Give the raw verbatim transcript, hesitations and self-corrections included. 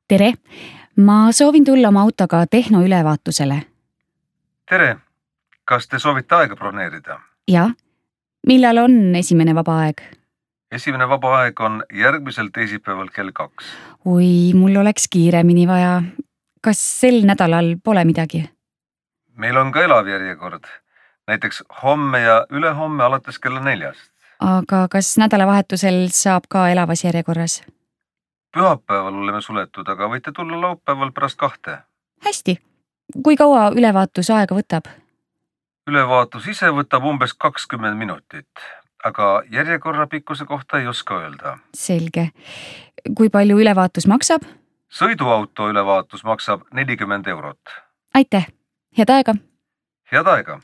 Tere! Ma soovin tulla oma autoga tehnoülevaatusele. Tere! Kas te soovite aega broneerida? Ja? Millal on esimene vaba aeg? Esimene vaba aeg on järgmisel teisipäeval kell kaks. Oi, mul oleks kiiremini vaja. Kas sel nädalal pole midagi? Meil on ka elav järjekord. Näiteks homme ja ülehomme alates kella neljast. Aga kas nädalavahetusel saab ka elavas järjekorras? Pühapäeval oleme suletud, aga võite tulla laupäeval pärast kahte. Hästi. Kui kaua ülevaatus aega võtab? Ülevaatus ise võtab umbes kakskümmend minutit, aga järjekorra pikkuse kohta ei oska öelda. Selge. Kui palju ülevaatus maksab? Sõiduauto ülevaatus maksab nelikümmend eurot. Aitäh. Head aega! Head aega!